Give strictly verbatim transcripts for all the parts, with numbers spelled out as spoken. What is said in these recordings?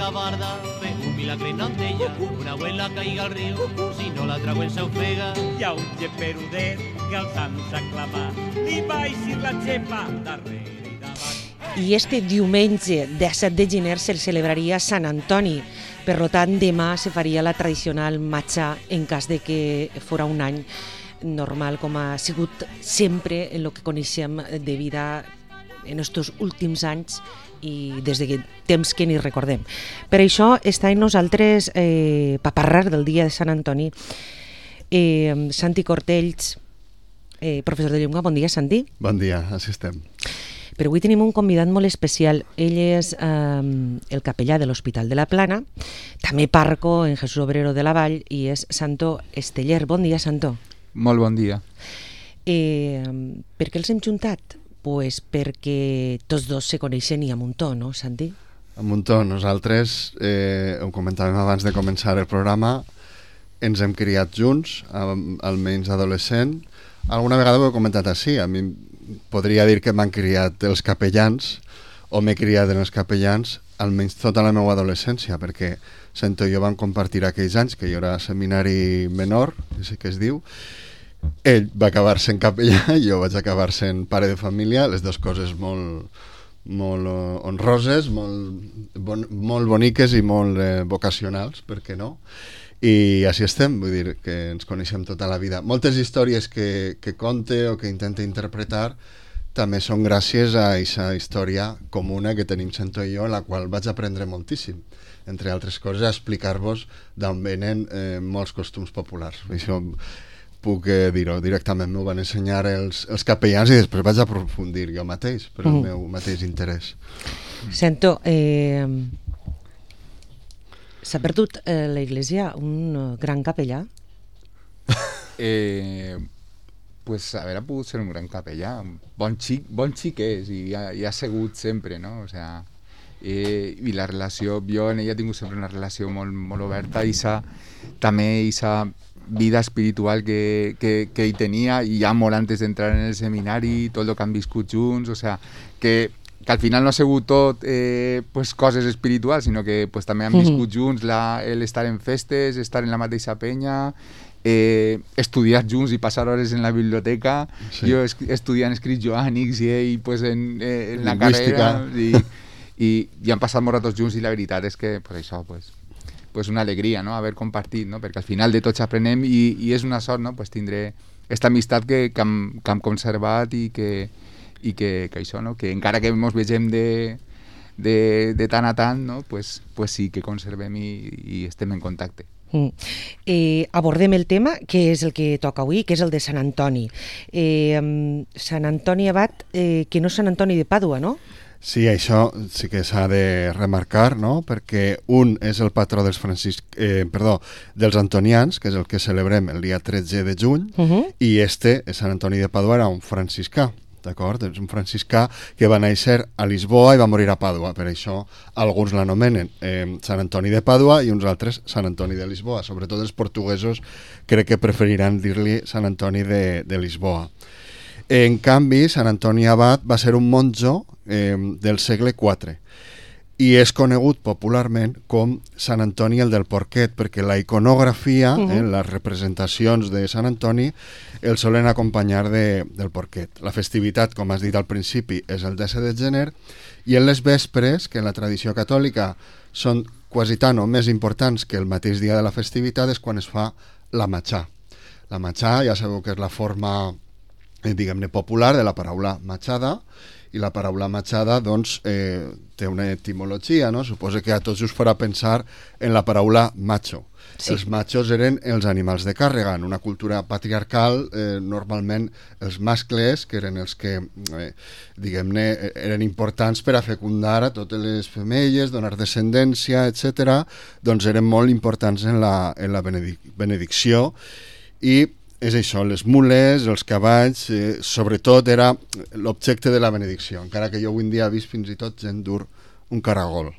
la barda, fe un milagre no d'ella, una abuela caiga al riu, si no la traguen s'ofega. Hi ha un geperudet que els sants aclamar, li va eixir la xepa darrere i davant. I este diumenge disset de gener se celebraria Sant Antoni. Per tant, demà se faria la tradicional matxa en cas de que fora un any normal, com ha sigut sempre en el que coneixem de vida en estos últims anys i des de temps que ni recordem. Per això està en nosaltres eh, per parlar del dia de Sant Antoni eh, Santi Cortells, eh, professor de llengua. Bon dia, Santi. Bon dia, així estem. Però avui tenim un convidat molt especial. Ell és eh, el capellà de l'Hospital de la Plana, també parco en Jesús Obrero de la Vall, i és Santo Esteller. Bon dia, Santo. Molt bon dia. Eh, per què els hem juntat? Pues perquè tots dos se coneixen i a muntó, no, Santi? A muntó. Nosaltres, eh, ho comentàvem abans de començar el programa, ens hem criat junts, almenys adolescent. Alguna vegada ho he comentat així. A mi podria dir que m'han criat els capellans, o m'he criat en els capellans, almenys tota la meva adolescència, perquè Santo i jo vam compartir aquells anys, que jo era seminari menor, així que es diu. Ell va acabar sent capellà i jo vaig acabar sent pare de família, les dues coses molt, molt honroses, molt, bon, molt boniques i molt eh, vocacionals, per què no? I així estem, vull dir que ens coneixem tota la vida. Moltes històries que, que conte o que intente interpretar també són gràcies a aquesta història comuna que tenim Santo i jo, en la qual vaig aprendre moltíssim, entre altres coses, a explicar-vos d'on venen eh, molts costums populars. Això puc eh, dir-ho directament, m'ho van ensenyar els, els capellans i després vaig aprofundir jo mateix, per el mm. meu mateix interès. Santo, eh, s'ha perdut eh, la Iglesia un gran capellà? Eh, pues haver pogut ser un gran capellà. Bon xic, bon xic és i ha, i ha sigut sempre, no? O sea, eh, i la relació, jo en ella he tingut sempre una relació molt, molt oberta i sa, també aquesta vida espiritual que, que, que hi tenia i ja molt antes d'entrar en el seminari, tot el que han viscut junts, o sea, que, que al final no ha sigut tot eh, pues, coses espirituals, sinó que pues, també han viscut junts la, l'estar en festes, estar en la mateixa penya, eh, estudiar junts i passar hores en la biblioteca, sí. Jo estudiant escrits joànics i ell pues, en, eh, en la carrera i, i, i han passat molts ratos junts i la veritat és que pues, això pues, pues una alegria, no?, haver compartit, no?, perquè al final de tots aprenem i, i és una sort, no?, pues tindré aquesta amistat que, que, hem, que hem conservat i que, i que, que això, no?, que encara que ens vegem de, de, de tant a tant, no?, pues, pues sí que conservem i, i estem en contacte. Mm. Eh, abordem el tema que és el que toca avui, que és el de Sant Antoni. Eh, Sant Antoni Abat, eh, que no és Sant Antoni de Pàdua, no? Sí, això sí que s'ha de remarcar, no?, perquè un és el patró dels francis... eh, perdó, dels antonians, que és el que celebrem el dia tretze de juny, uh -huh. i este, Sant Antoni de Pàdua, era un franciscà, d'acord? És un franciscà que va néixer a Lisboa i va morir a Pàdua, per això alguns l'anomenen eh, Sant Antoni de Pàdua i uns altres Sant Antoni de Lisboa. Sobretot els portuguesos crec que preferiran dir-li Sant Antoni de, de Lisboa. En canvi, Sant Antoni Abat va ser un monjo eh, del segle quatre i és conegut popularment com Sant Antoni el del Porquet, perquè la iconografia, uh-huh. eh, les representacions de Sant Antoni, el solen acompanyar de, del Porquet. La festivitat, com has dit al principi, és el disset de gener, i en les vespres, que en la tradició catòlica són quasi tant o més importants que el mateix dia de la festivitat, és quan es fa la matxà. La matxà, ja sabeu que és la forma diguem-ne popular de la paraula matxada, i la paraula matxada doncs eh, té una etimologia, no? Suposo que a tots us farà pensar en la paraula macho. Sí. Els machos eren els animals de càrrega. En una cultura patriarcal, eh, normalment els mascles, que eren els que eh, diguem-ne eren importants per a fecundar a totes les femelles, donar descendència, etcètera, doncs eren molt importants en la, en la benedic benedicció. I és això, les mules, els cavalls, eh, sobretot era l'objecte de la benedicció, encara que jo avui en dia he vist fins i tot gent dur un caragol.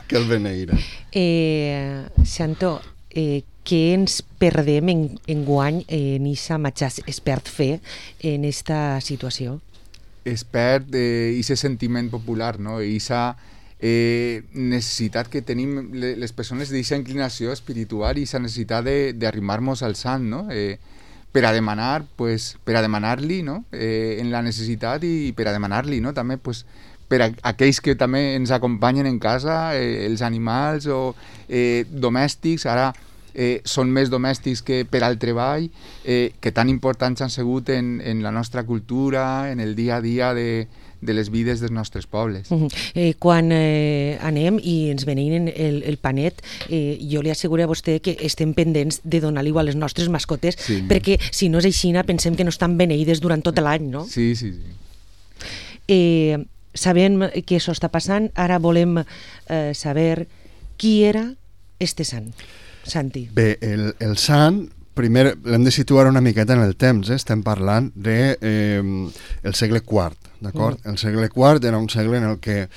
Que el beneïra. Eh, Santo, eh, què ens perdem en, en guany en aquesta matxà? Es perd fer en aquesta situació? Es perd eh, ese sentiment popular, no? I esa eh, necessitat que tenim les persones d'aquesta inclinació espiritual i aquesta necessitat d'arrimar-nos al sant, no? Eh, per a demanar, pues, per a demanar-li, no? Eh, en la necessitat i per a demanar-li, no? També, pues, per a aquells que també ens acompanyen en casa, eh, els animals o eh, domèstics, ara eh, són més domèstics que per al treball, eh, que tan importants han sigut en, en la nostra cultura, en el dia a dia de, de les vides dels nostres pobles. Uh -huh. eh, quan eh, anem i ens venim el, el panet, eh, jo li asseguro a vostè que estem pendents de donar-li igual a les nostres mascotes, sí. perquè si no és així, pensem que no estan beneïdes durant tot l'any, no? Sí, sí, sí. Eh, sabem que això està passant, ara volem eh, saber qui era este sant, Santi. Bé, el, el sant, primer l'hem de situar una miqueta en el temps, eh? Estem parlant de eh, el segle quart, d'acord? Mm. El segle quart era un segle en el que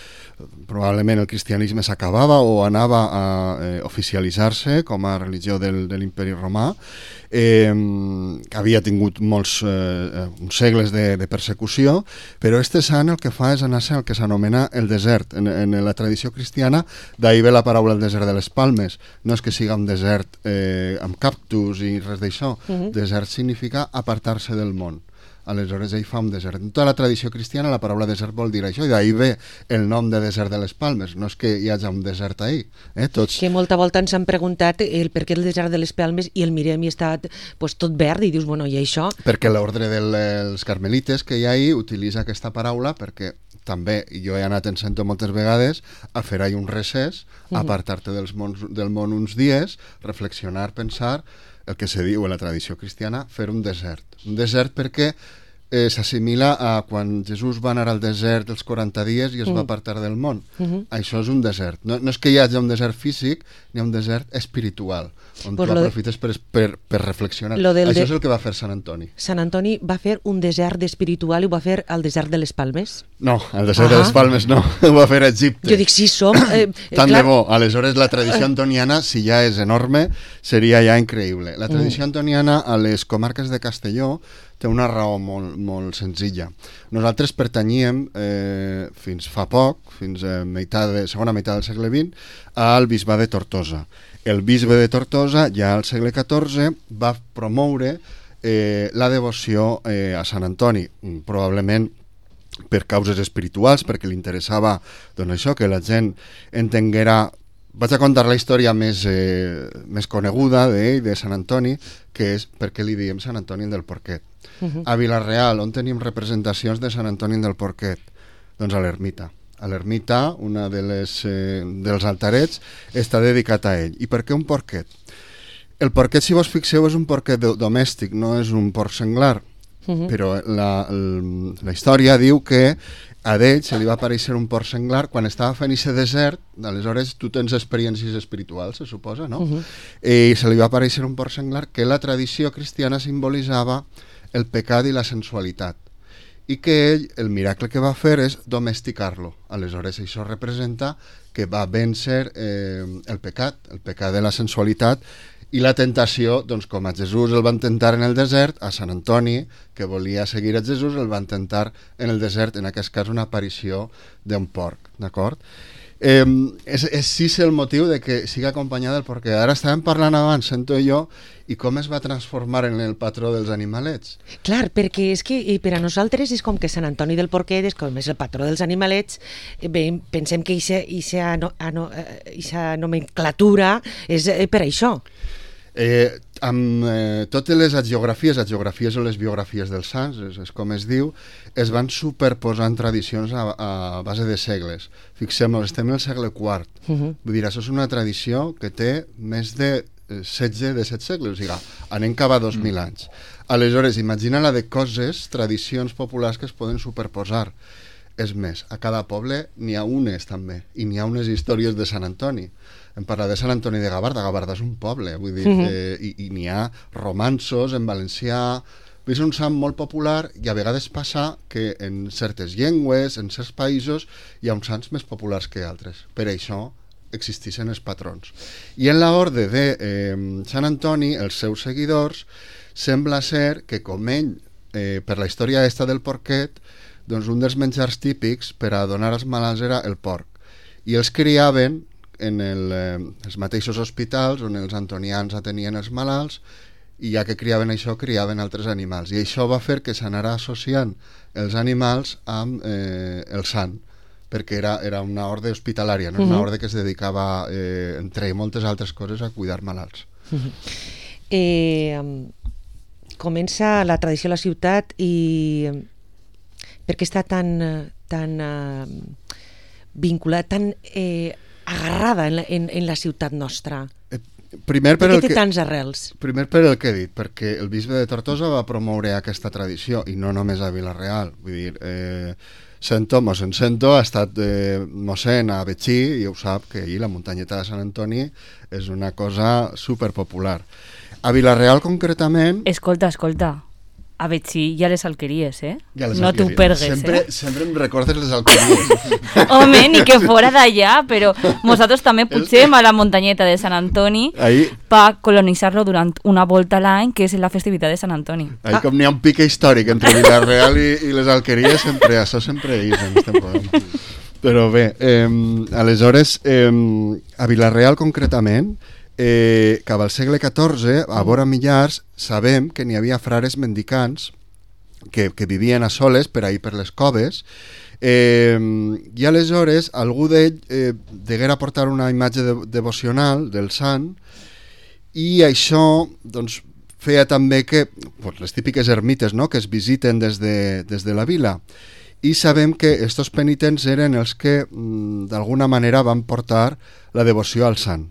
probablement el cristianisme s'acabava o anava a eh, oficialitzar-se com a religió del, de l'imperi romà, eh, havia tingut molts eh, uns segles de, de persecució, però este sant el que fa és anar-se al que s'anomena el desert. En, en la tradició cristiana, d'ahir ve la paraula el desert de les Palmes. No és que siga un desert eh, amb cactus i res d'això. Mm-hmm. Desert significa apartar-se del món. Aleshores ell fa un desert. En tota la tradició cristiana la paraula desert vol dir això, i d'ahir ve el nom de desert de les Palmes. No és que hi hagi un desert ahir. Eh? Tots... Que molta volta ens han preguntat el per què el desert de les Palmes i el mirem i està pues, tot verd i dius, bueno, i això? Perquè l'ordre dels carmelites que hi ha ahir utilitza aquesta paraula perquè també, i jo he anat en sento moltes vegades, a fer ahir un recés, apartar-te dels mons, del món uns dies, reflexionar, pensar, el que se diu en la tradició cristiana, fer un desert. Un desert perquè eh, s'assimila a quan Jesús va anar al desert els quaranta dies i es mm. va apartar del món. Mm-hmm. Això és un desert. No, no és que hi hagi un desert físic, ni un desert espiritual, on pues tu aprofites de... per, per, per reflexionar. Això de... és el que va fer Sant Antoni. Sant Antoni va fer un desert espiritual i ho va fer al desert de les Palmes? No, al desert ah. de les Palmes no, ho va fer a Egipte. Jo dic, sí, som... Eh, Tant clar... de bo. Aleshores, la tradició antoniana, si ja és enorme, seria ja increïble. La tradició mm. antoniana a les comarques de Castelló té una raó molt, molt senzilla. Nosaltres pertanyíem eh, fins fa poc, fins a meitat de, segona meitat del segle vint, al bisbe de Tortosa. El bisbe de Tortosa, ja al segle catorze, va promoure eh, la devoció eh, a Sant Antoni, probablement per causes espirituals, perquè li interessava doncs això, que la gent entenguera. Vaig a contar la història més, eh, més coneguda d'ell, de Sant Antoni, que és per què li diem Sant Antoni del Porquet. Uh-huh. A Vila-real, on tenim representacions de Sant Antoni del Porquet? Doncs a l'ermita. A l'ermita, una de les, eh, dels altarets, està dedicat a ell. I per què un porquet? El porquet, si vos fixeu, és un porquet domèstic, no és un porc senglar. Uh-huh. Però la, el, la història diu que a d'ell se li va aparèixer un porc senglar quan estava fent aquest desert. Aleshores tu tens experiències espirituals, se suposa, no? Uh-huh. I se li va aparèixer un porc senglar que la tradició cristiana simbolitzava el pecat i la sensualitat, i que ell, el miracle que va fer és domesticar-lo. Aleshores això representa que va vèncer eh, el pecat, el pecat de la sensualitat i la tentació, doncs com a Jesús el van tentar en el desert, a Sant Antoni, que volia seguir a Jesús, el van tentar en el desert, en aquest cas una aparició d'un porc, d'acord? Eh, és, és sí el motiu de que sigui acompanyada del porquet. Ara estàvem parlant abans, sento jo, i com es va transformar en el patró dels animalets. Clar, perquè és que per a nosaltres és com que Sant Antoni del Porquet és com és el patró dels animalets, bé, pensem que aquesta nomenclatura és per això. Eh, amb eh, totes les hagiografies, hagiografies o les biografies dels sants, és, és com es diu, es van superposant tradicions a, a base de segles. Fixem-nos, estem en el segle quart. Uh-huh. Vull dir, això és una tradició que té més de setze, disset segles, o sigui, anem cap a dos mil mm. anys. Aleshores, imagina la de coses, tradicions populars que es poden superposar. És més, a cada poble n'hi ha unes també, i n'hi ha unes històries de Sant Antoni. Em parla de Sant Antoni de Gavarda, Gavarda és un poble, vull dir, mm-hmm. eh, i, i n'hi ha romanços en valencià. És un sant molt popular i a vegades passa que en certes llengües, en certs països, hi ha uns sants més populars que altres. Per això existeixen els patrons. I en l'ordre de eh, Sant Antoni, els seus seguidors, sembla ser que com ell, eh, per la història esta del porquet, doncs un dels menjars típics per a donar als malalts era el porc. i els criaven en el, eh, els mateixos hospitals on els antonians atenien els malalts, i ja que criaven això, criaven altres animals. I això va fer que s'anara associant els animals amb eh, el sant, perquè era, era una orde hospitalària, no? Uh-huh. Una orde que es dedicava, eh, entre moltes altres coses, a cuidar malalts. Uh-huh. eh, comença la tradició a la ciutat i per què està tan, tan uh, vinculada, tan eh, agarrada en la, en, en la ciutat nostra? Eh, Primer per, per el què té que, tants arrels? primer per el que he dit, perquè el bisbe de Tortosa va promoure aquesta tradició, i no només a Vila-real. Vull dir, eh, Sento, mossèn Sento ha estat eh, mossèn a Betxí, i ho sap, que ahir la muntanyeta de Sant Antoni és una cosa superpopular. A Vila-real, concretament... Escolta, escolta, a Betxí hi ha les alqueries, eh? Ja les no t'ho alqueries. pergues, sempre, eh? Sempre em recordes les alqueries. Home, ni que fora d'allà, però nosaltres també pugem a la muntanyeta de Sant Antoni Ahí, per colonitzar-lo durant una volta a l'any, que és la festivitat de Sant Antoni. ahí com n'hi ha un pique històric entre Vila-real i, i les alqueries, sempre, això sempre és en este programa. Però bé, eh, aleshores, eh, a Vila-real concretament, eh, cap al segle catorze, a vora Millars, sabem que n'hi havia frares mendicants que, que vivien a soles per ahir per les coves, eh, i aleshores algú d'ell eh, deguera portar una imatge de, devocional del sant, i això doncs, feia també que pues, les típiques ermites, no?, que es visiten des de, des de la vila, i sabem que estos penitents eren els que mm, d'alguna manera van portar la devoció al sant.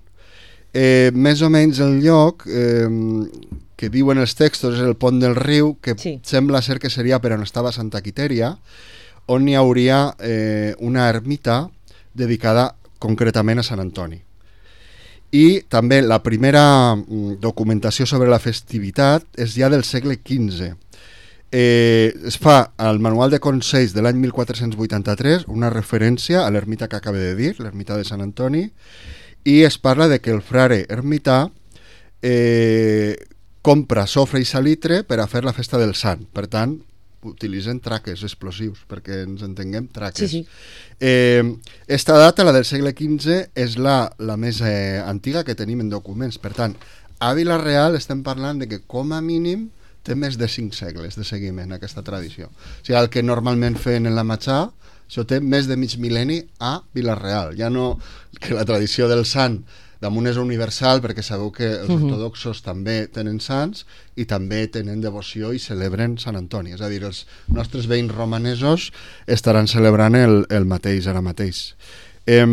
Eh, més o menys el lloc eh, que diuen els textos és el pont del riu, que sí. Sembla ser que seria per on estava Santa Quitèria, on hi hauria eh, una ermita dedicada concretament a Sant Antoni. I també la primera mm, documentació sobre la festivitat és ja del segle quinze. Eh, es fa al Manual de Consells de l'any mil quatre-cents vuitanta-tres una referència a l'ermita que acaba de dir, l'ermita de Sant Antoni, i es parla de que el frare ermità eh, compra sofre i salitre per a fer la festa del sant. Per tant, utilitzen traques explosius, perquè ens entenguem, traques. Sí, sí. Eh, esta data, la del segle quinze, és la, la més eh, antiga que tenim en documents. Per tant, a Vila-real estem parlant de que com a mínim té més de cinc segles de seguiment aquesta tradició. O sigui, el que normalment feien en la Matxà, això té més de mig mil·lenni a Vila-real. Ja no que la tradició del sant damunt és universal, perquè sabeu que els uh-huh. ortodoxos també tenen sants i també tenen devoció i celebren Sant Antoni. És a dir, els nostres veïns romanesos estaran celebrant el, el mateix ara mateix. Eh,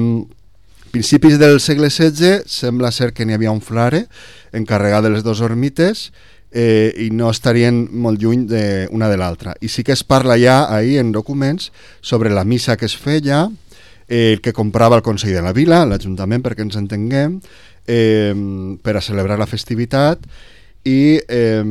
principis del segle setze sembla ser que n'hi havia un frare encarregat de les dues ermites, Eh, i no estarien molt lluny de una de l'altra. I sí que es parla ja ahir en documents sobre la missa que es feia, eh, que comprava el Consell de la Vila, l'Ajuntament, perquè ens entenguem, eh, per a celebrar la festivitat, i eh,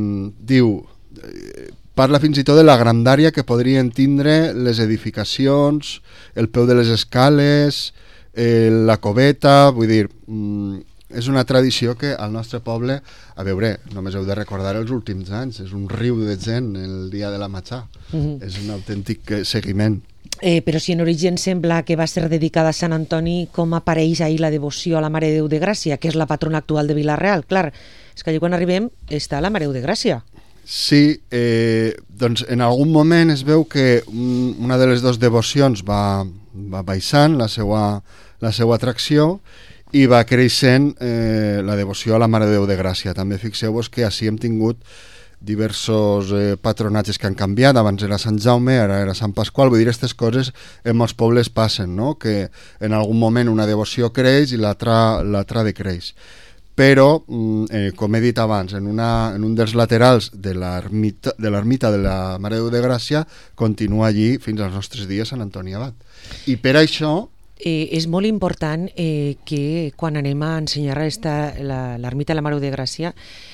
diu, eh, parla fins i tot de la grandària que podrien tindre les edificacions, el peu de les escales, eh, la coveta, vull dir... Mm, és una tradició que al nostre poble, a veure, només heu de recordar els últims anys, és un riu de gent el dia de la Matxà, uh-huh. És un autèntic seguiment. Eh, però si en origen sembla que va ser dedicada a Sant Antoni, com apareix ahir la devoció a la Mare de Déu de Gràcia, que és la patrona actual de Vila-real? Clar, és que allà quan arribem està la Mare de Déu de Gràcia. Sí, eh, doncs en algun moment es veu que un, una de les dues devocions va, va baixant la seva, la seva atracció, i va creixent eh, la devoció a la Mare de Déu de Gràcia. També fixeu-vos que així hem tingut diversos eh, patronatges que han canviat. Abans era Sant Jaume, ara era Sant Pasqual. Vull dir, aquestes coses en molts pobles passen, no? Que en algun moment una devoció creix i l'altra l'altra decreix. Però, eh, com he dit abans, en, una, en un dels laterals de l'ermita de, l'ermita de la Mare de Déu de Gràcia continua allí fins als nostres dies Sant Antoni Abat. I per això... Eh, és molt important eh, que quan anem a ensenyar l'ermita de la Mare de Gràcia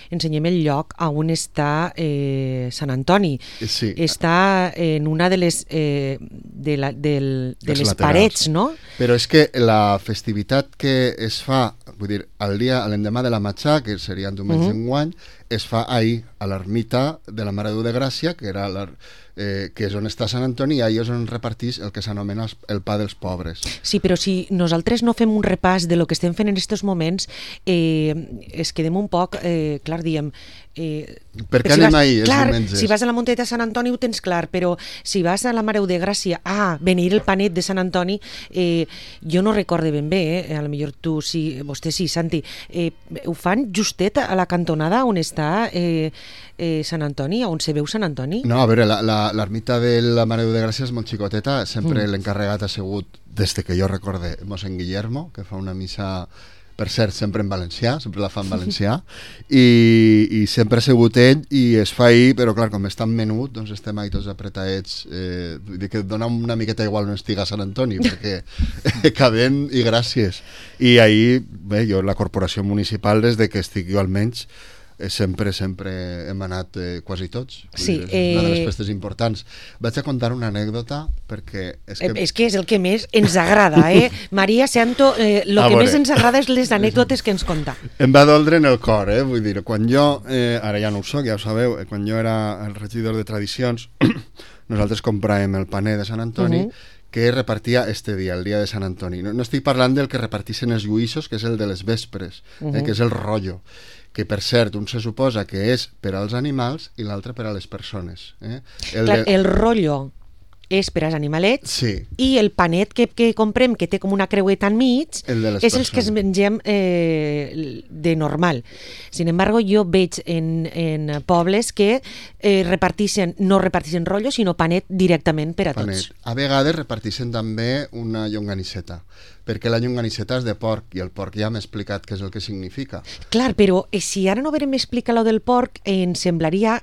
ensenyem el lloc on està eh, Sant Antoni. Sí. Està en una de les, eh, de la, del, de les parets, no? Però és que la festivitat que es fa, vull dir, el dia, l'endemà de la Matxà, que seria en diumenge uh-huh. enguany, es fa ahir a l'ermita de la Mare de Déu de Gràcia, que era la, eh, que és on està Sant Antoni, i ahir és on repartís el que s'anomena el pa dels pobres. Sí, però si nosaltres no fem un repàs de lo que estem fent en aquests moments, eh, es quedem un poc, eh, clar, diem... Eh, per què si anem vas, ahir, els clar, diumenges? si vas a la Monteta de Sant Antoni ho tens clar, però si vas a la Mare de Gràcia, ah, beneir el panet de Sant Antoni, eh, jo no recorde ben bé, eh, a lo millor tu sí, vostè sí, Santi, eh, ho fan justet a la cantonada on està eh, eh, Sant Antoni, on se veu Sant Antoni? No, a veure, l'ermita de la Mare de Déu de Gràcia és molt xicoteta, sempre mm. l'encarregat ha sigut, des que jo recorde, mossèn Guillermo, que fa una missa, per cert, sempre en valencià, sempre la fa en valencià, i, i sempre ha sigut ell, i es fa ahir, però clar, com és tan menut, doncs estem ahí tots apretadets, eh, vull dir que dona una miqueta igual on estiga Sant Antoni, perquè cabem i gràcies. I ahir, bé, jo, la corporació municipal, des de que estic jo almenys, sempre, sempre hem anat eh, quasi tots. Sí, dir, és una de les eh... festes importants. Vaig a contar una anècdota perquè... És que, és que és el que més ens agrada, eh? Maria Santo, eh, el que veure. més ens agrada és les anècdotes que ens conta. Em va doldre en el cor, eh? Vull dir, quan jo, eh, ara ja no ho soc, ja ho sabeu, eh, quan jo era el regidor de tradicions, nosaltres compràvem el paner de Sant Antoni, uh -huh. que repartia este dia, el dia de Sant Antoni. No, no estic parlant del que repartissin els lluïssos, que és el de les vespres, uh -huh. eh, que és el rotllo, que per cert, un se suposa que és per als animals i l'altre per a les persones. Eh? El, Clar, de... el rotllo és per als animalets, sí. i el panet que, que comprem, que té com una creueta enmig, el de les és persones. els que es mengem eh, de normal. Sin embargo, jo veig en, en pobles que eh, repartixen, no repartixen rotllo, sinó panet directament per a panet. tots. A vegades repartixen també una llonganisseta, perquè la llonganisseta és de porc, i el porc ja m'ha explicat què és el que significa. Clar, però eh, si ara no verem explicar lo del porc, eh, em semblaria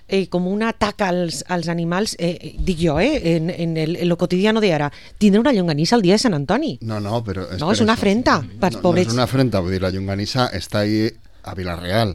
eh, com un atac als, als animals, eh, dic jo, eh, en, en, el, en lo cotidiano de ara. Tindre una llonganissa el dia de Sant Antoni. No, no, però... És no, és una afrenta pels no, pobrets. No és una afrenta, vull dir, la llonganissa està ahí a Vila-real.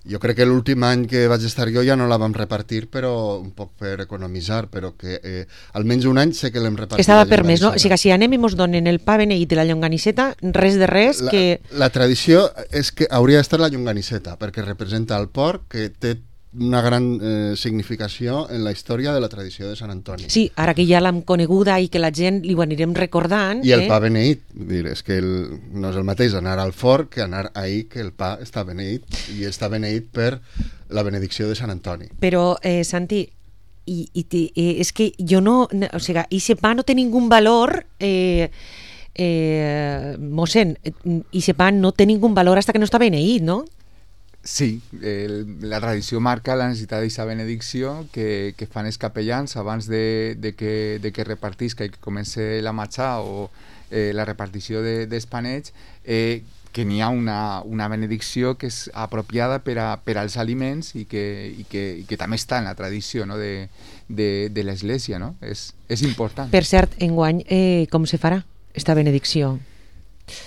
Jo crec que l'últim any que vaig estar jo ja no la vam repartir, però un poc per economitzar, però que eh, almenys un any sé que l'hem repartit. Estava permès, no? O sigui que si anem i mos donen el pa beneït i la llonganisseta, res de res la, que... La tradició és que hauria d'estar la llonganisseta, perquè representa el porc, que té una gran eh, significació en la història de la tradició de Sant Antoni. Sí, ara que ja l'hem coneguda i que la gent li ho anirem recordant... I el eh? pa beneït, vull dir, és que el, no és el mateix anar al forn que anar ahir, que el pa està beneït, i està beneït per la benedicció de Sant Antoni. Però, eh, Santi, i, i, i, és que jo no... O sigui, ese pa no té ningú valor... Eh, eh, mossèn, ese pa no té ningú valor hasta que no està beneït, no? Sí, el, la tradició marca la necessitat d'aquesta benedicció que, que fan els capellans abans de, de, que, de que repartisca i que comenci la matxà o eh, la repartició de, dels panets, eh, que n'hi ha una, una benedicció que és apropiada per, a, per als aliments i que, i, que, i que també està en la tradició, no? de, de, de l'Església, no? És, és important. Per cert, enguany, eh, com se farà esta benedicció?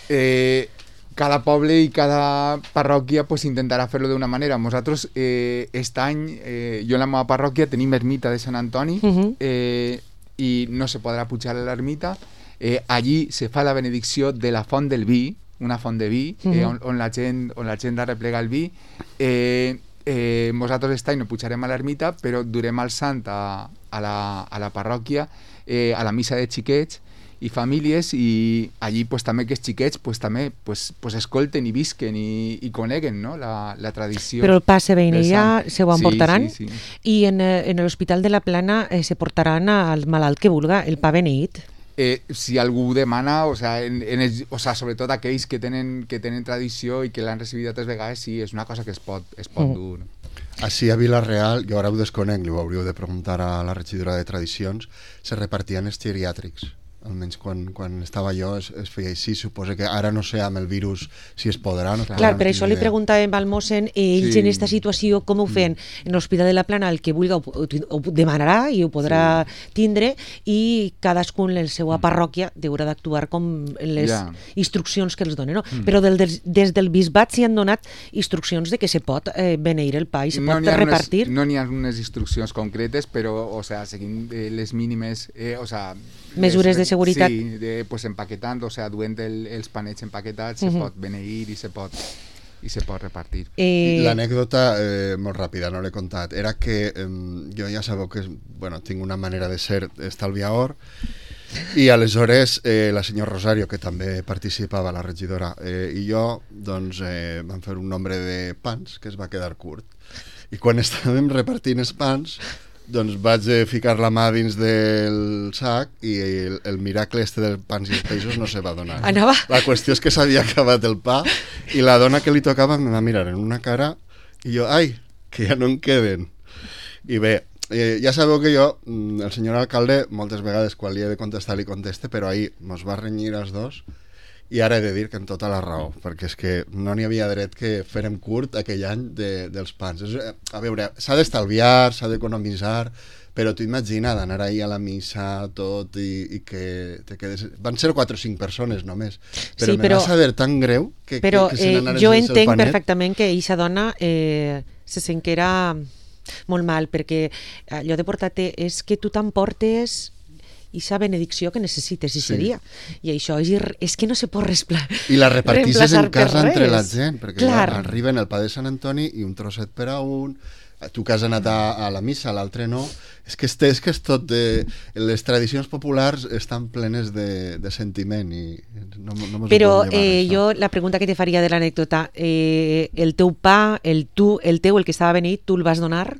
Eh... Cada poble i cada parròquia pues, intentarà fer-lo d'una manera. Nosaltres, eh, aquest any, eh, jo en la meva parròquia tenim ermita de Sant Antoni, uh -huh. eh, i no se podrà pujar a l'ermita. Eh, allí se fa la benedicció de la font del vi, una font de vi, uh -huh. eh, on, on, la gent, on la gent arreplega el vi. Eh, eh, nosaltres aquest any no pujarem a l'ermita, però durem el sant a, a, la, a la parròquia, eh, a la missa de xiquets, i famílies, i allí pues, també que els xiquets pues, també pues, pues, escolten i visquen i, i coneguen, no? la, la tradició. Però el pa se veïnella se ho emportaran, sí, sí, sí. I en, en l'Hospital de la Plana eh, se portaran al malalt que vulga el pa beneït. Eh, si algú demana, o sea, en, en el, o sea, sobretot aquells que tenen, que tenen tradició i que l'han recibit altres vegades, sí, és una cosa que es pot, es pot mm. dur. Així a Vila-real, jo ara ho desconec, li ho hauríeu de preguntar a la regidora de Tradicions, se repartien els geriàtrics. Almenys quan, quan estava jo es, es feia així. Suposo que ara no sé amb el virus si es podrà. No, Clar, no per això li preguntàvem al mossèn, ells Sí. en aquesta situació com ho feien? Mm. En l'Hospital de la Plana el que vulgui ho, ho, ho demanarà i ho podrà sí. tindre, i cadascun en la seva parròquia haurà d'actuar com les Ja. instruccions que els donen. No? Mm. Però del, des, des del bisbat s'hi han donat instruccions de que se pot eh, beneir el pa i se no pot n'hi ha repartir. Unes, no n'hi ha unes instruccions concretes, però o sea, seguint eh, les mínimes... Eh, o sea, mesures de seguretat. Sí, de, pues, empaquetant, o sea, duent el, els panets empaquetats, uh -huh. se pot beneir i se pot... i se pot repartir. Eh... L'anècdota, eh, molt ràpida, no l'he contat, era que eh, jo ja sabeu que bueno, tinc una manera de ser estalviador i aleshores eh, la senyora Rosario, que també participava, la regidora, eh, i jo doncs, eh, vam fer un nombre de pans que es va quedar curt. I quan estàvem repartint els pans, doncs vaig eh, ficar la mà dins del sac i el, el miracle este dels pans i els peixos no se va donar. Anava... La qüestió és que s'havia acabat el pa i la dona que li tocava em va mirar en una cara i jo, ai, que ja no en queden. I bé, eh, ja sabeu que jo, el senyor alcalde, moltes vegades quan li he de contestar li conteste, però ahir mos va renyir els dos i ara he de dir que amb tota la raó, perquè és que no n'hi havia dret que fèrem curt aquell any de, dels pans. És, a veure, s'ha d'estalviar, s'ha d'economitzar, però tu imagina d'anar ahir a la missa tot i, i que te quedes... Van ser quatre o cinc persones només, però sí, me però, va saber tan greu que, però, que, que se n'anaren eh, jo sense el entenc panet. perfectament que eixa dona eh, se sent que era molt mal, perquè allò de portar-te és que tu t'emportes ixa benedicció que necessites ese Sí. dia. I això és, ir- és que no se pot respla... I la repartisses en reemplaçar per casa entre la res. gent, perquè Clar. ja arriben el pa de Sant Antoni i un trosset per a un, tu que has anat a, a la missa, l'altre no. És que, este, és que és tot de... Les tradicions populars estan plenes de, de sentiment i no, no mos Però ho podem llevar, eh, això. jo la pregunta que te faria de l'anècdota, eh, el teu pa, el tu, el teu, el que estava beneit, tu el vas donar?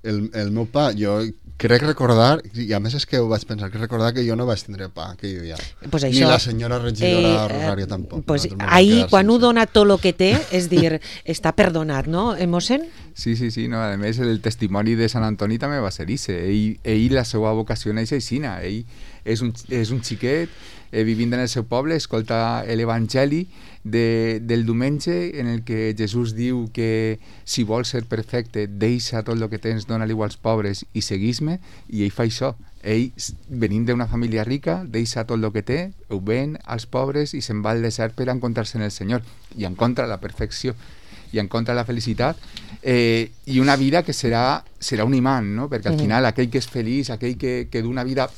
El, el meu pa, jo crec recordar, i a més és que ho vaig pensar, crec recordar que jo no vaig tindre pa aquell dia. Pues Ni això, la senyora regidora eh, Rosario tampoc. Pues Nosaltres vam ahir, quedar quan ho sense. dona tot el que té, és dir, està perdonat, no, eh, mossèn? Sí, sí, sí, no? A més el testimoni de Sant Antoni també va ser ixe. Ell, ell la seva vocació neix aixina. Ell és un, és un xiquet eh, vivint en el seu poble, escolta l'Evangeli de, del diumenge en el que Jesús diu que si vols ser perfecte, deixa tot el que tens, dona-li als pobres i seguís-me, i ell fa això. Ell, venint d'una família rica, deixa tot el que té, ho ven als pobres i se'n va al desert per encontrar-se en el Senyor i encontra la perfecció i encontra la felicitat eh, i una vida que serà, serà un imant, no? Perquè al Mm. final aquell que és feliç, aquell que, que d'una vida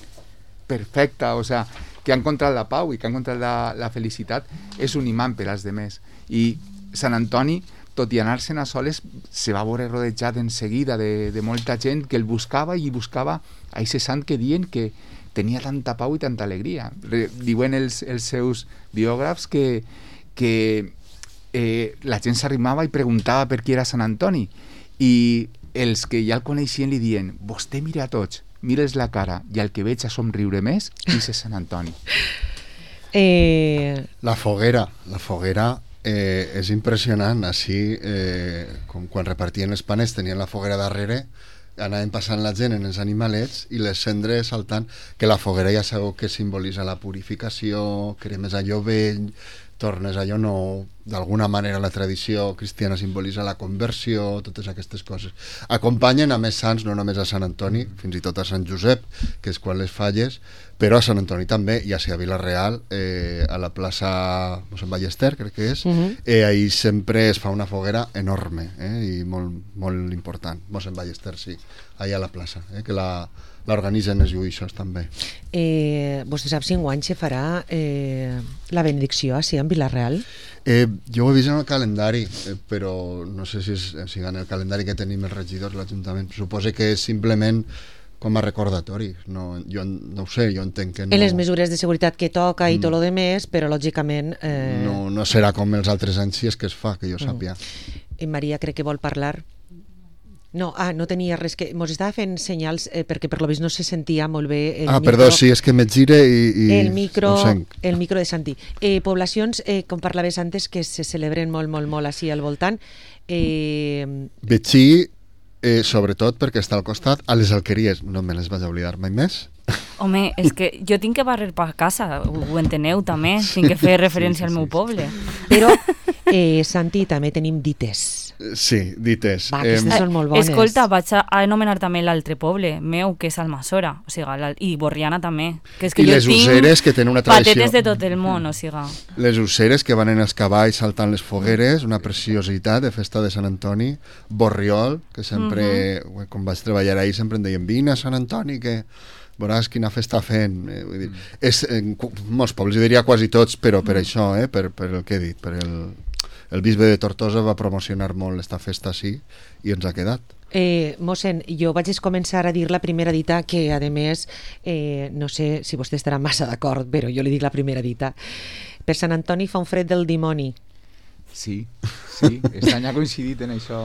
perfecta, o sea, que ha encontrat la pau i que ha encontrat la, la felicitat, és un imant per als demés. I Sant Antoni, tot i anar-se'n a soles, se va veure rodejat en seguida de, de molta gent que el buscava i buscava a aquest sant que diuen que tenia tanta pau i tanta alegria. Re, diuen els, els seus biògrafs que, que eh, la gent s'arrimava i preguntava per qui era Sant Antoni, i els que ja el coneixien li diuen: vostè mira a tots, mires la cara, i el que veig a somriure més és Sant Antoni. Eh, La foguera, la foguera eh, és impressionant. Així, eh, com quan repartien els panes, tenien la foguera darrere, anaven passant la gent en els animalets i les cendres saltant, que la foguera ja sabeu que simbolitza la purificació, cremes allò vell, tornes allò nou, d'alguna manera la tradició cristiana simbolitza la conversió, totes aquestes coses. Acompanyen a més sants, no només a Sant Antoni, fins i tot a Sant Josep, que és quan les falles, però a Sant Antoni també, ja sigui a Vila-real, eh, a la plaça Mossèn Ballester, crec que és, uh -huh. eh, ahí sempre es fa una foguera enorme eh, i molt, molt important. Mossèn Ballester, sí, allà a la plaça, eh, que la l'organitzen els lluïssos també. eh, vostè sap si enguany se farà eh, la benedicció així en Vila-real? Eh, jo ho he vist en el calendari, eh, però no sé si és si en el calendari que tenim els regidors, l'Ajuntament. Suposo que és simplement com a recordatori. No, jo no ho sé, jo entenc que no... En les mesures de seguretat que toca i mm. tot lo demés, però lògicament... Eh... No, no serà com els altres anys si és que es fa, que jo sàpia. Mm. En Maria crec que vol parlar. No, ah, no tenia res que... Mos estava fent senyals eh, perquè per lo vist no se sentia molt bé el ah, micro. perdó, sí, és que me gire i... i el micro, ho sent. el micro de Santi. Eh, poblacions, eh, com parlaves antes, que se celebren molt, molt, molt així al voltant. Eh... Betxí, eh, sobretot perquè està al costat, a les alqueries, no me les vaig oblidar mai més. Home, és que jo tinc que barrer per casa, ho, ho enteneu també, tinc que fer referència sí, sí, al meu sí. poble. Però, eh, Santi, també tenim dites. Sí, dites. Va, aquestes Eh, són molt bones. Escolta, vaig a anomenar també l'altre poble meu, que és Almassora, o sigui, la, i Borriana també. Que és que I jo les tinc useres, que tenen una tradició. patetes de tot el món, o sigui. Les useres que van en els cavalls saltant les fogueres, una preciositat de festa de Sant Antoni. Borriol, que sempre, uh -huh. quan vaig treballar ahir, sempre em deien: vine a Sant Antoni, que veuràs quina festa fent. Eh, vull dir, mm. és, en molts pobles, jo diria quasi tots, però per això, eh, per, per el que he dit, per el, el bisbe de Tortosa va promocionar molt esta festa així i ens ha quedat. Eh, mossèn, jo vaig començar a dir la primera dita que, a més, eh, no sé si vostè estarà massa d'acord, però jo li dic la primera dita. Per Sant Antoni fa un fred del dimoni. Sí, sí, aquest any ha coincidit en això.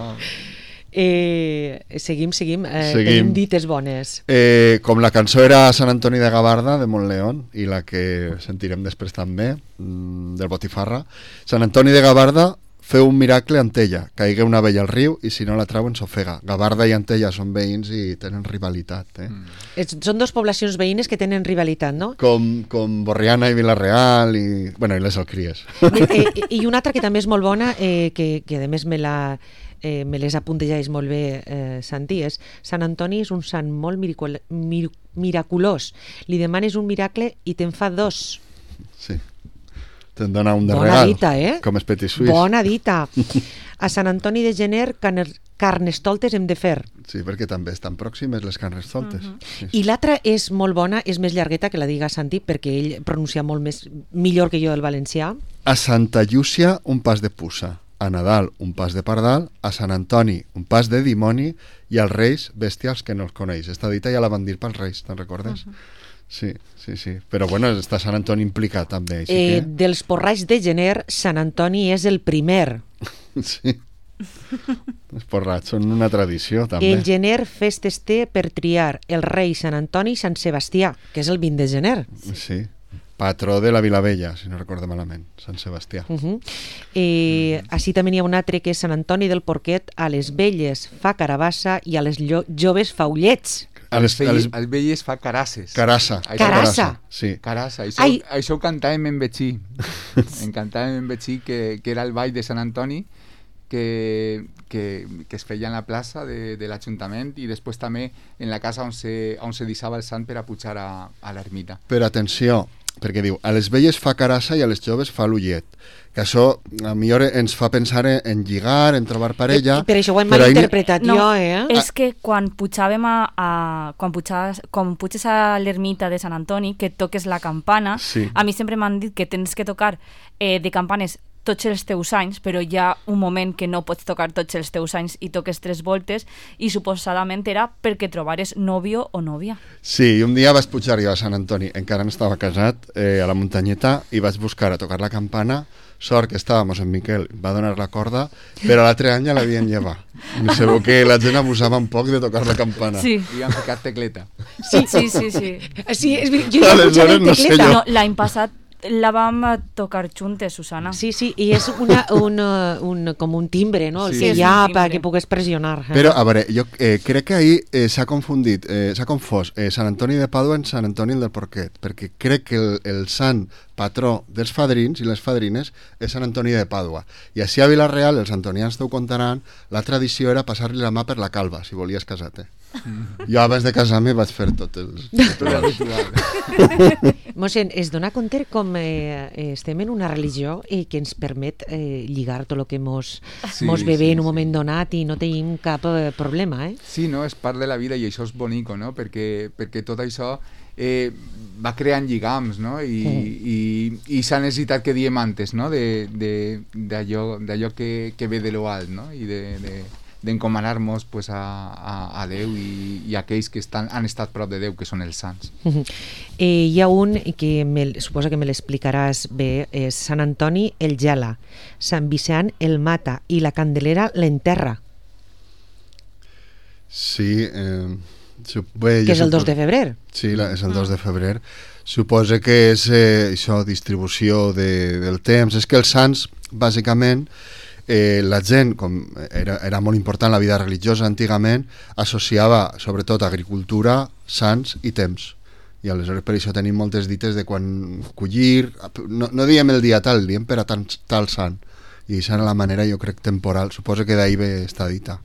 Eh, seguim, seguim, eh, Seguim. tenim dites bones. Eh, com la cançó era Sant Antoni de Gavarda, de Montleón, i la que sentirem després també, mm, del Botifarra, Sant Antoni de Gavarda feu un miracle a Antella, caigué una vella al riu i si no la trauen s'ofega. Gavarda i Antella són veïns i tenen rivalitat. Eh? Mm. Es, són dues poblacions veïnes que tenen rivalitat, no? Com, com Borriana i Vilareal i, bueno, i les Alcries. I, eh, I una altra que també és molt bona, eh, que, que a més me la... Eh, me les apuntejais molt bé, eh, Santi, és Sant Antoni és un sant molt miracul mir miraculós. Li demanes un miracle i te'n fa dos. Sí. Te'n dona un de Bona regal. dita, eh? Com és Petit Suís. Bona dita. A Sant Antoni de Gener, carnestoltes hem de fer. Sí, perquè també estan pròximes les carnestoltes. Uh -huh. Sí, sí. I l'altra és molt bona, és més llargueta que la diga Santi, perquè ell pronuncia molt més millor que jo el valencià. A Santa Llúcia, un pas de puça. A Nadal, un pas de pardal. A Sant Antoni, un pas de dimoni. I als Reis, bèstials que no els coneix. Esta dita ja la van dir pels Reis, te'n recordes? Uh -huh. Sí, sí, sí. Però bueno, està Sant Antoni implicat també. Així Eh, que... dels porralls de gener, Sant Antoni és el primer. Sí. Els porrats són una tradició també. El gener festes té per triar el rei Sant Antoni i Sant Sebastià, que és el vint de gener. Sí. Patró de la Vilavella, si no recordo malament, Sant Sebastià. Uh -huh. eh, així també n'hi ha un altre que és Sant Antoni del Porquet, a les velles fa carabassa i a les joves fa ullets. A les, a les... Els velles fa carasses. Carassa. Això- Carassa. Sí. Carassa, això, Ai. això ho cantàvem en Betxí. En cantàvem en Betxí, que, que era el ball de Sant Antoni, que, que, que es feia en la plaça de, de l'Ajuntament i després també en la casa on se, on se deixava el sant per a pujar a, a l'ermita. Però atenció, perquè diu, a les velles fa carassa i a les joves fa l'ullet. Que això a millor ens fa pensar en, en lligar, en trobar parella... I per això ho hem però ahí- malinterpretat No, jo, eh? és que quan pujàvem a, a quan, pujaves, quan puges a l'ermita de Sant Antoni, que toques la campana, Sí. a mi sempre m'han dit que tens que tocar eh, de campanes tots els teus anys, però hi ha un moment que no pots tocar tots els teus anys i toques tres voltes, i suposadament era perquè trobares nòvio o nòvia. Sí, i un dia vaig pujar jo a Sant Antoni, encara no estava casat, eh, a la muntanyeta, i vaig buscar a tocar la campana. Sort que estàvem en Miquel, va donar la corda, però l'altre any ja l'havien llevat. No sé, que la gent abusava un poc de tocar la campana. Sí, I han ficat tecleta. sí, sí, sí. sí. Sí, és, ver- jo ja he Aleshores, escuchat el no sé tecleta. jo. No, l'any passat la vam tocar juntes, Susana. Sí, sí, i és una, una, un, com un timbre, no? El Sí, que és hi un ha timbre. perquè pugues pressionar. Eh? Però, a veure, jo eh, crec que ahir eh, s'ha confundit, eh, s'ha confós eh, Sant Antoni de Pàdua en Sant Antoni del Porquet, perquè crec que el, el sant patró dels fadrins i les fadrines és Sant Antoni de Pàdua. I així a Vilareal, els antonians t'ho contaran, la tradició era passar-li la mà per la calva, si volies casar-te. Mm. Jo abans de casar-me vaig fer tot el... Tot el ritual. Mossèn, es dona compte com eh, estem en una religió i que ens permet eh, lligar tot el que mos, Sí, mos ve bé sí, en un sí. moment donat i no tenim cap eh, problema, eh? Sí, no? És part de la vida i això és bonico, no? Perquè, perquè tot això eh, va creant lligams, no? I, Mm. i, i s'ha necessitat que diem antes, no? De- de- d'allò d'allò que, que ve de lo alt, no? I de, de, d'encomanar-nos pues, a, a, a Déu i, i a aquells que estan, han estat prop de Déu, que són els sants. Eh, hi ha un que me, suposo que me l'explicaràs bé, és Sant Antoni el gela, Sant Vicent el mata i la Candelera l'enterra, Sí, eh, sup- bé, que jo és el dos suposo- de febrer. Sí, la, és el dos de febrer. Suposa que és eh, això, distribució de, del temps. És que els sants, bàsicament, eh, la gent, com era, era molt important la vida religiosa antigament, associava sobretot agricultura, sants i temps. I aleshores per això tenim moltes dites de quan collir, no, no diem el dia tal, diem per a tal, tal sant. I això era la manera, jo crec, temporal. Suposo que d'ahir ve esta dita.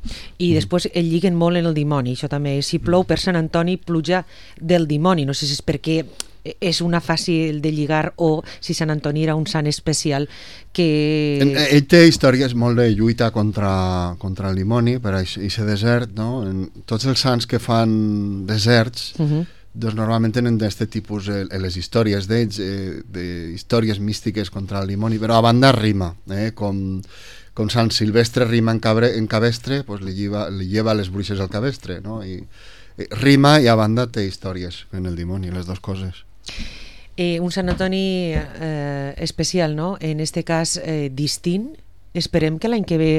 I després el lliguen molt en el dimoni, això també. Si plou per Sant Antoni, pluja del dimoni. No sé si és perquè és una fàcil de lligar o si Sant Antoni era un sant especial que... En- Ell té històries molt de lluita contra, contra el dimoni per aquest desert, no? En tots els sants que fan deserts Uh -huh. doncs normalment tenen d'aquest tipus eh, les històries d'ells, eh, de històries místiques contra el dimoni, però a banda rima, eh, com, com Sant Silvestre rima en, cabre, en cabestre, pues li, lleva, li lleva les bruixes al cabestre, no? I, eh, rima i a banda té històries en el dimoni, les dues coses. Eh, un Sant Antoni eh, especial, no? En este cas eh, distint. Esperem que l'any que ve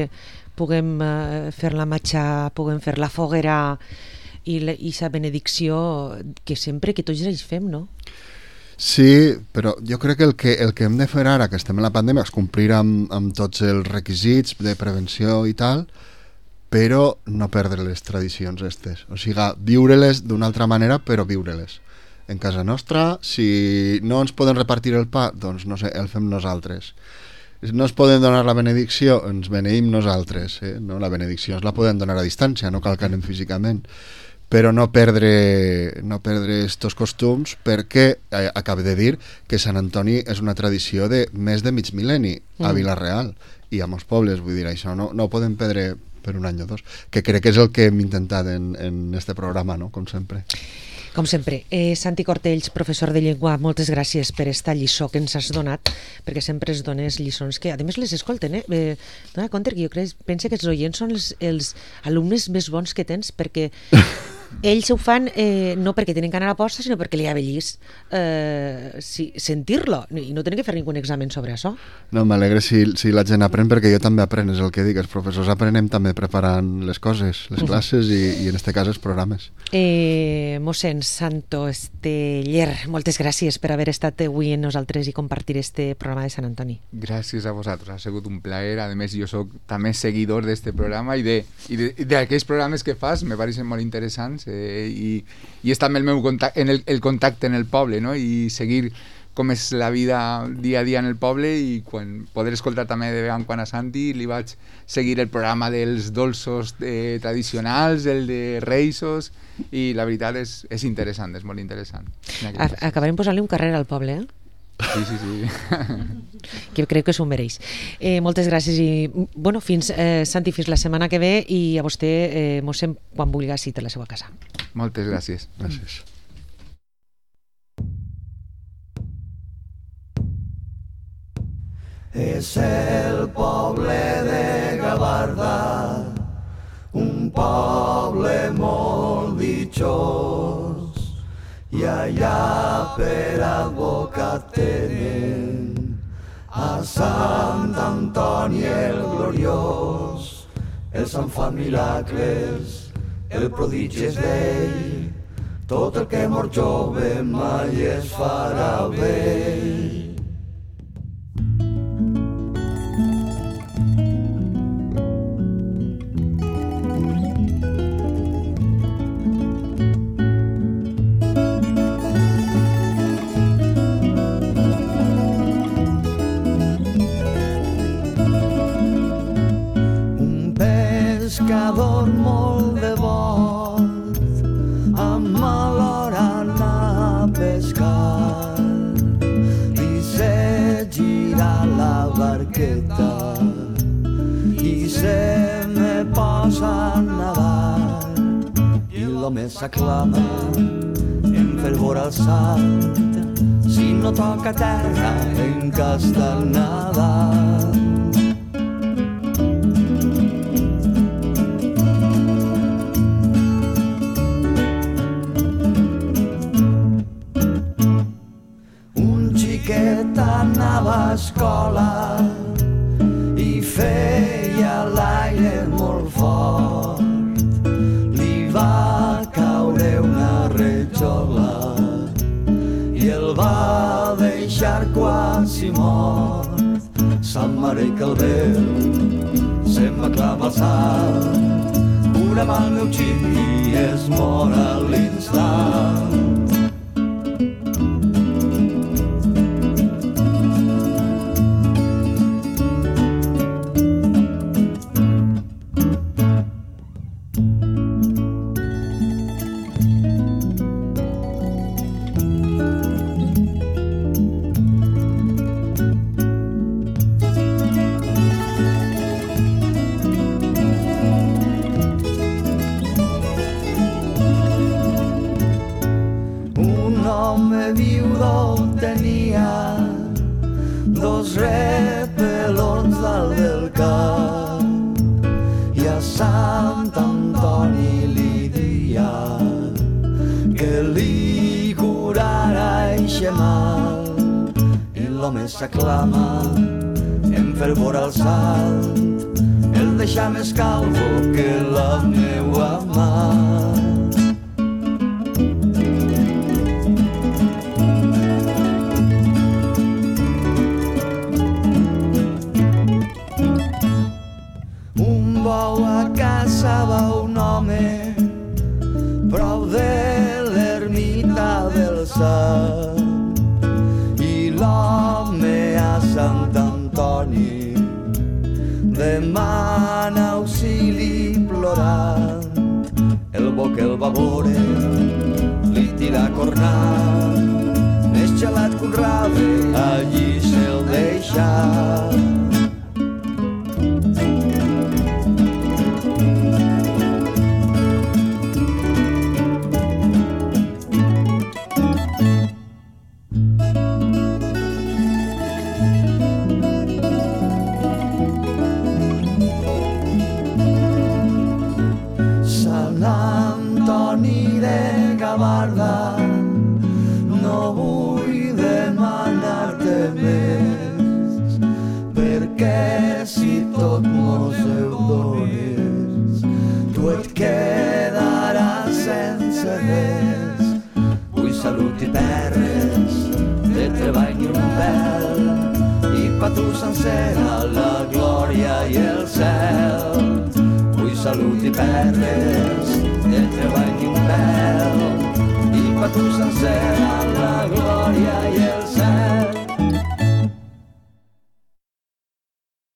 puguem eh, fer la matxa, puguem fer la foguera i la, i sa benedicció que sempre, que tots ells fem, no? Sí, però jo crec que el que, el que hem de fer ara, que estem en la pandèmia, és complir amb, amb tots els requisits de prevenció i tal, però no perdre les tradicions estes. O sigui, viure-les d'una altra manera, però viure-les. En casa nostra, si no ens poden repartir el pa, doncs no sé, el fem nosaltres. No ens poden donar la benedicció, ens beneïm nosaltres. Eh? No? La benedicció ens la poden donar a distància, no cal que anem físicament. Però no perdre no perdre estos costums, perquè eh, acabo de dir que Sant Antoni és una tradició de més de mig mil·lenni a mm. Vila-real i a molts pobles, vull dir, això no, no ho podem perdre per un any o dos, que crec que és el que hem intentat en, en este programa, no? Com sempre. Com sempre, eh, Santi Cortells, professor de llengua, moltes gràcies per esta lliçó que ens has donat, perquè sempre es dones lliçons que, a més, les escolten, eh? eh dona compte que jo crec, pense que els oients són els, els alumnes més bons que tens, perquè ells ho fan eh, no perquè tenen gana a la posta, sinó perquè li avellis eh, si, sentir-lo, i no tenen que fer ningú examen sobre això. No, m'alegre si, si la gent aprèn, perquè jo també apren, és el que dic, els professors aprenem també preparant les coses, les classes i, i en este cas els programes. Eh, mossèn Santo Esteller, moltes gràcies per haver estat avui amb nosaltres i compartir este programa de Sant Antoni. Gràcies a vosaltres, ha sigut un plaer. A més, jo soc també seguidor d'este programa i d'aquells programes que fas me pareixen molt interessants eh, i, i és també el meu contacte, en el, el contacte en el poble, no? I seguir com és la vida dia a dia en el poble, i quan poder escoltar també de vegades quan a Santi li vaig seguir el programa dels dolços eh, tradicionals, el de reisos, i la veritat és, és interessant, és molt interessant. Acabarem posant-li un carrer al poble, eh? Sí, sí, sí. Que crec que s'ho mereix. Eh, moltes gràcies i, bueno, fins, eh, Santi, fins la setmana que ve, i a vostè, eh, mossèn, quan vulgui, cita a la seva casa. Moltes gràcies. Gràcies. És el poble de Gavarda, un poble molt ditxós, i allà per advocat tenen a Sant Antoni el gloriós. El Sant fan miracles, el prodigi és d'ell, tot el que mor jove mai es farà vell. Pescador molt devot, amb mal hora anar a pescar, li se gira la barqueta i se me posa a nadar, i l'home s'aclama en fervor al salt, si no toca terra en cas del Nadal. Anava a escola i feia l'aire molt fort, li va caure una retxola i el va deixar quasi mort. Sant Mare que el veu se'n va clavar al salt, cura amb el meu xic i es mor a l'instant. home s'aclama en fervor al salt, el deixa més calvo que la meua mà. Un bou a caça va un home prop de l'ermita del Sant, i l'home a Sant Antoni demana auxili plorant. El bo que el va veure li tira cornant, més gelat que un rave allí se'l deixa. No vull demanar-te més, perquè si tot mos ho dones, tu et quedaràs sense res. Vull salut i perres, de treball ni un pèl, i pa tu sencera la glòria i el cel. Vull salut i perres, de treball ni un pèl, pa tu sencera la glòria i el